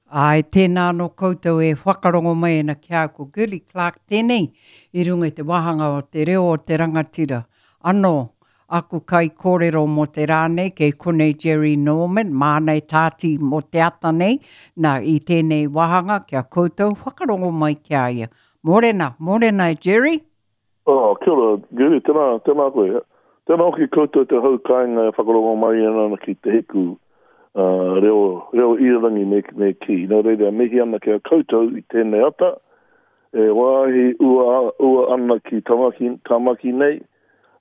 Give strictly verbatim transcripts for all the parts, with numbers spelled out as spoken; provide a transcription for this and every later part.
Āe, tēnā anō koutou e whakarongo mai ana ki a au, ko Girlie Clarke tēnei i runga i te wāhanga o Te Reo o te Rangatira. Anō, aku kaikōrero mō te rā nei, kei konei Jerry Norman, māna e tāti mō te ata nei, nā, i tēnei wāhanga ki a koutou, whakarongo mai ki a ia. Mōrena, mōrena e Jerry! Oh, kia ora, Girlie, tēnā, tēnā koe. Tēnā hoki koutou te hau kāinga e whakarongo mai ana ki te hiku uh, reo, reo irirangi me, me kī. Nō reira, mihi ana ki a koutou i tēnei ata, e wāhi ua, ua ana ki Tamaki, Tamaki nei,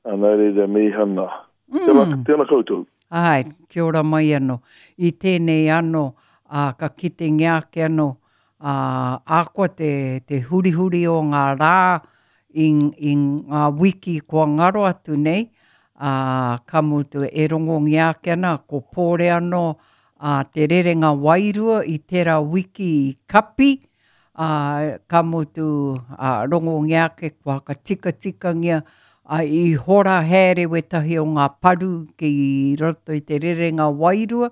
a nā reira mihi ana. Mm. Tēnā, tēnā koutou. Ai, kia ora mai anō. I tēnei anō, ā, ka kitengia ake anō, ā, ahakoa te, te hurihuri o ngā rā i, i ngā wiki kua ngaro atu nei, ā, ka mutu e rongongia ake ana ko Pōre anō ā, te rerenga wairua i tērā wiki i kapi, ā, ka mutu ā, rongongia ake kua whakatikatikangia, ā, i hora haere wētahi o ngā paru ki roto i te rerenga wairua,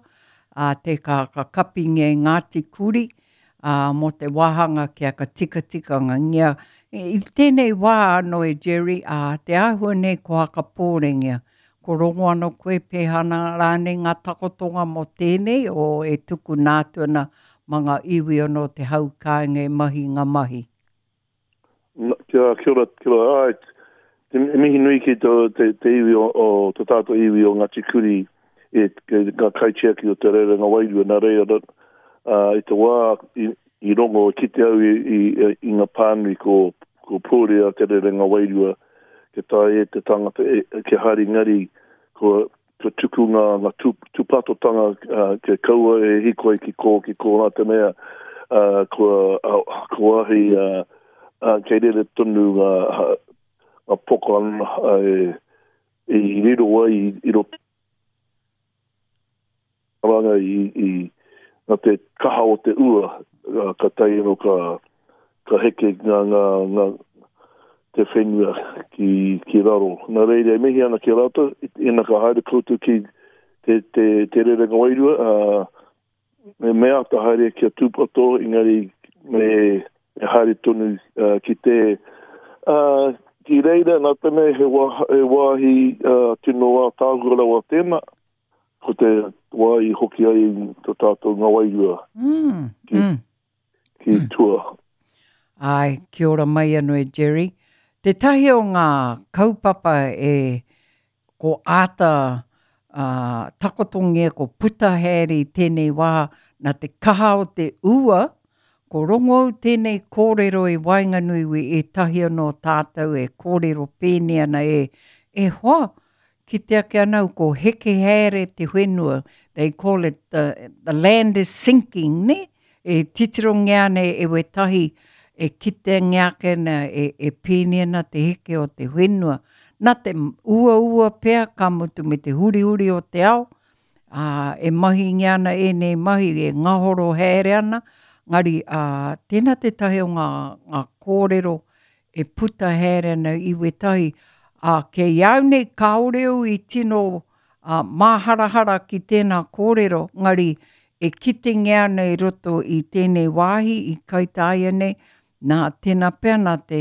ā, te ka, ka kapingia e Ngāti Kuri, ā, mō te wāhanga kia ka tikatikangia. I tēnei wā anō e Jerry, ā, te āhua nei ko Hakapōrengia. Ko rongo anō koe pēhā ana rānei ngā takotonga mō tēnei o e tukuna atu ana mā ngā iwi anō te hau kāinga e mahi ngā mahi? Kia, kia ora, kia ora, āe, te mihi nui ki te, te, te iwi o, o te tātou iwi o Ngāti Kuri, e, ke, ngā kaitiaki o te rerenga wairua, nā reira, uh, i te wā i, i rongo, i kite au i, i, i ngā pānui ko, ko Pōrea te rerenga wairua, ke tae e te tangata, e, ke haere ngari, ko, ko tuku ngā, ngā tū, tūpatotanga, uh, ke kaua e hikoi ki kō, ki kō, nā te mea, uh, kua, uh, kua ahi, uh, uh, kei rere tonu ngā, ngā poka uh, e, i riro ai i, i roto ranga i, i nā te kaha o te ua, uh, ka tae anō ka, ka heke ngā, ngā, ngā, te whenua ki, ki raro. Nā reira, e mihi ana ki a rātou, ina ka haere koutou ki te, te, te rerenga wairua, uh, me me āta haere kia tūpato, engari me, me haere tonu uh, ki te uh, ki reira, nā te mea he, wā, he wāhi uh, tino ātaahua rawa tēnā, ko te wā i hoki ai tō tātou ngā wairua mm, ki, mm. ki tua. Āe, kia ora mai anō e Jerry. Tētahi o ngā kaupapa e ko āta uh, takotongia, ko puta haere i tēnei wā, nā te kaha o te ua, ko rongo au tēnei kōrero i waenganui i ētahi anō tātou e kōrero pēnei ana e, e hoa, kite ake ana au ko heke haere te whenua, they call it the, the land is sinking, ne? E titirongia ana e wētahi e kitengia ake ana e, e pēnei ana te heke o te whenua. Nā te uaua pea ka mutu me te hurihuri o te ao, ā, e mahingia ana ēnei mahi e ngahoro haere ana, ngari ā, tēnā tētahi o ngā, ngā kōrero e puta haere ana i wētahi, ā, kei au nei kāore au i tino ā, māharahara ki tēnā kōrero, ngari e kitengia ana i roto i tēnei wāhi i Kaitāia nei, nā tēnā pea nā te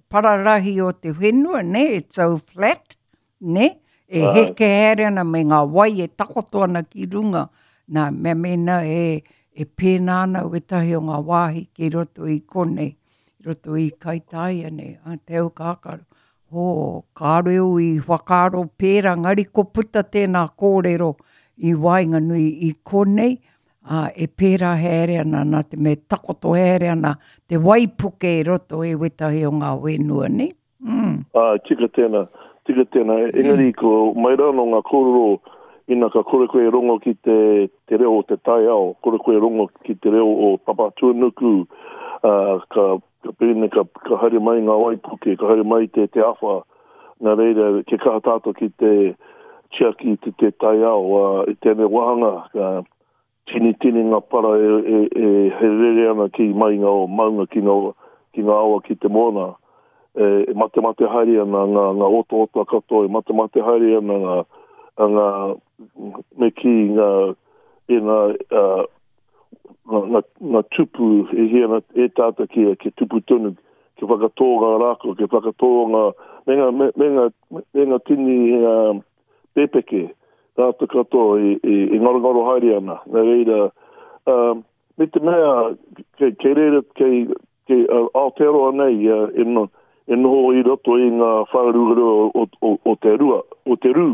pararahi o te whenua, ne, it's so flat, ne, e Āe. heke haere ana me ngā wai e takoto ana ki runga, nā, mea mēnā e, e pēnā ana wētahi o ngā wāhi ki roto i konei, i roto i Kaitāia nei, a te au kākaro. Hō, kāore au i whakaaro pērā, ngari ko puta tēnā kōrero i waenganui i konei, ā, e pērā haere ana nā te mea e takoto haere ana te waipuke i roto i wētahi o ngā whenua, nei? Mm. Ā, tika tēnā, tika tēnā. Engari ko mai rā anō ngā kōrero, ina ka kore koe e rongo ki te, te reo o te taiao, kore koe e rongo ki te reo o Papatūānuku, ā, ka, ka pēnei, ka, ka haere mai ngā waipuke, ka haere mai te, te awha. Nā reira, kia kaha tātou ki te tiaki te, te taiao, ā, i tēnei wāhanga, ka tini tini ngā para e, e, e he rere ana ki mai ngā maunga, ki ngā, ki ngā awa, ki te moana. E, e matemate haere ana ngā, ngā otaota katoa, e matemate haere ana ngā, ngā, me kī ngā, e ngā, uh, ngā, ngā, ngā tupu e hia ana e tātou kia, kia tupu tonu, kia whakatō ngā rākau, kia whakatō ngā, me ngā, me, me ngā, me ngā tini uh, pepeke, rātou katoa e, e, e ngarongaro haere ana. Nā reira, um, me te mea, kei, kei reira, kei, kei uh, Aotearoa nei, uh, e, no, e noho i roto i ngā whāruarua o, o, o te rua, o te rū,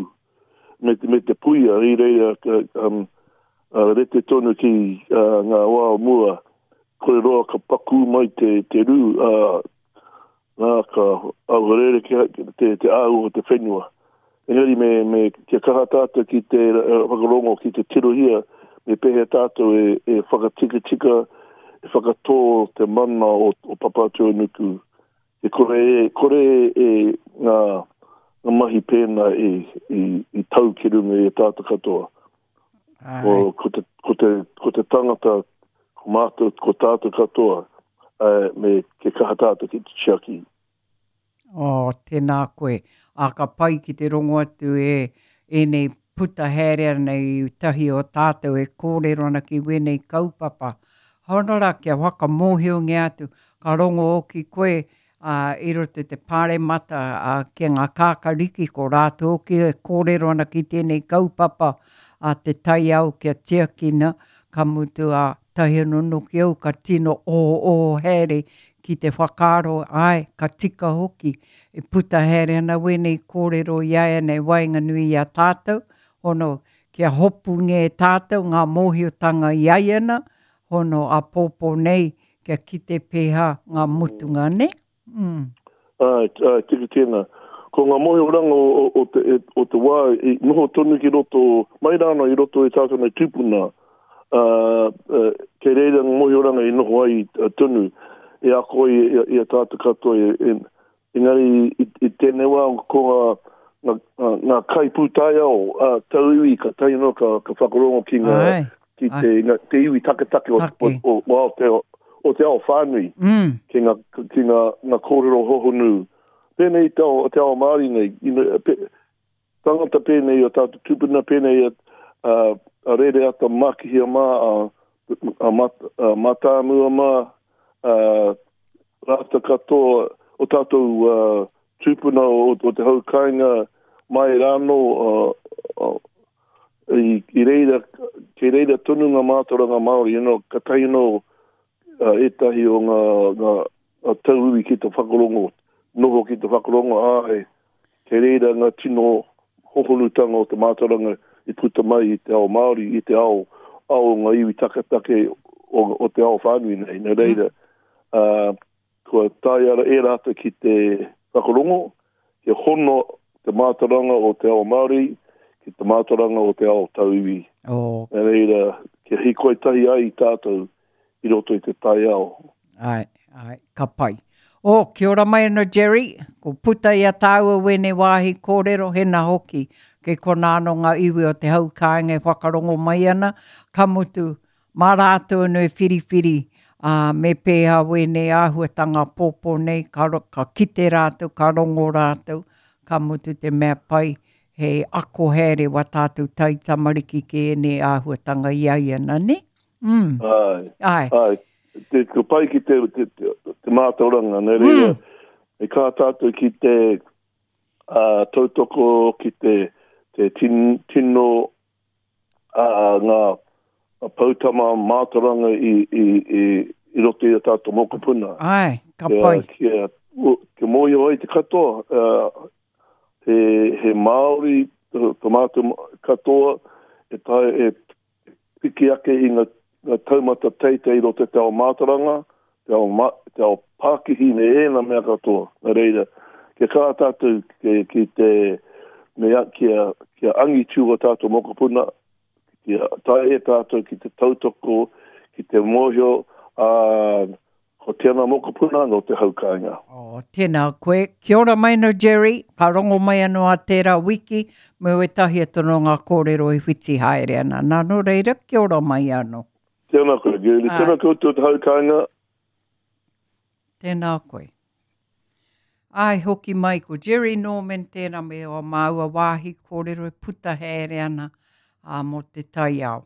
me te, me te puia, i reira, um, uh, rete tonu ki uh, ngā wā o mua, kore roa ka pakū mai te, te rū, uh, nā, ka auharere ki te, te āhua o te whenua. Engari me, me kia kaha tātou ki te uh, whakarongo, ki te tirohia, me pēhea tātou e, e whakatikatika, e whakatō te mana o, o Papatūānuku. E kore e, kore e ngā, ngā mahi pēnā e, i, i tau ki runga i a tātou katoa. Ko, ko, te, ko, te, ko te tangata, ko mātou, ko tātou katoa, uh, me ke kaha tātou ki te tiaki. Oh, tēnā koe. A ka pai ki te rongo atu e ēnei puta haere ana i tahi o tātou e kōrero ana ki wēnei kaupapa. Hono rā kia whakamōhiongia atu, ka rongo hoki koe uh, i roto i te pāremata uh, ki ngā kākariki ko rātou hoki e kōrero ana ki tēnei kaupapa a te taiao kia tiakina, ka mutu a tahi anō noki au ka tino oho oho haere ki te whakaaro, ai, ka tika hoki, e puta haere ana wēnei kōrero i a nei waenganui i a tātou, hono kia hopungia e tātou ngā mōhiotanga i ai ana, hono a pōpō nei kia kite pēhā ngā mutunga, ne? Mm. Ai, ai, tika tēnā. Ko ngā mōhioranga o, o, o, te, e, o te wā, i noho tonu ki roto, mai rāna i roto i tātou nei tūpuna, uh, uh, kei reira ngā mōhioranga i noho ai uh, tonu, e ako i, i, i a tātou katoa. E, e, engari i, i tēnei wā ko ngā, ngā, ngā, ngā kaipūtaiao uh, tauiwi ka tae anō ka, ka whakarongo ki ngā, Ai, ki te, ngā, te iwi taketake o, o, Take. o, o, Aotearoa, o te ao whānui Mm. ki ngā, ki ngā, ngā kōrero hohonu. Pēnei te ao, te ao Māori nei, you know, pe, tangata pēnei o tātou tūpuna, pēnei a, a, a Rereata Mākihia mā, a, a, mat, a Mātāmua mā, a, rātou katoa o tātou uh, tūpuna o, o te hau kāinga mai rānō uh, uh, i, i reira, kei reira tonu ngā mātauranga Māori, you know, ka tae anō uh, ētahi o ngā, ngā, ngā tauiwi ki te whakarongo, noho ki te whakarongo, ai, kei reira ngā tino hohonutanga o te mātauranga i puta mai i te ao Māori, i te ao, ao o ngā iwi taketake o, o te ao whānui nei. Nā reira, uh, kua taea e rātou ki te whakarongo, kia hono te mātauranga o te ao Māori ki te mātauranga o te ao tauiwi. Oh, Nā reira, kia hīkoi tahi ai tātou i roto i te taiao. ai, ai, ka pai. O, kia ora mai anō Jerry, ko puta i a tāua wēnei wāhi kōrero, hena hoki, kei kona anō ngā iwi o te hau kāinga e whakarongo mai ana, ka mutu, mā rātou anō e whiriwhiri, uh, me pēhā wēnei āhuatanga pōpō nei, ka, ro- ka kite rātou, ka rongo rātou, ka mutu te mea pai, he ako haere wā tātou tai tamariki ki ēnei āhuatanga i ai ana, ne? Mm. Ai, Ai. ai, te, ko pai ki te, te, te, te mātauranga, nā reira, Mm. e kā tātou ki te uh, tautoko, ki te, te tin, tino uh, ngā poutama mātauranga i, i, i, i roto i a tātou mokopuna. Ai, ka Kia, pai. kia, kia mōhio ai te katoa, uh, he, he Māori, tō mātou katoa, e, tae, e piki ake i ngā, ngā taumata teitei i roto i te ao mātauranga, te ao, ma, te ao pākihi me ēnā mea katoa. Nā reira, kia kaha tātou ki, ki te, me, a- kia, kia angitu o tātou mokopuna, kia tae e tātou ki te tautoko, ki te mōhio, uh, ko tēnā mokopuna no te hau kāinga. Oh, tēnā koe. Kia ora mai no Jerry, ka rongo mai anō a tērā wiki, me wetahi atu no ngā kōrero i whiti haere ana. Nā nō reira, kia ora mai anō. Tēnā koe, Girlie. Ai. Tēnā koutou te hau kāinga. Tēnā koe. Ai, hoki mai ko Jerry Norman tēnā me o māua wāhi kōrero e puta haere ana a mō te taiao.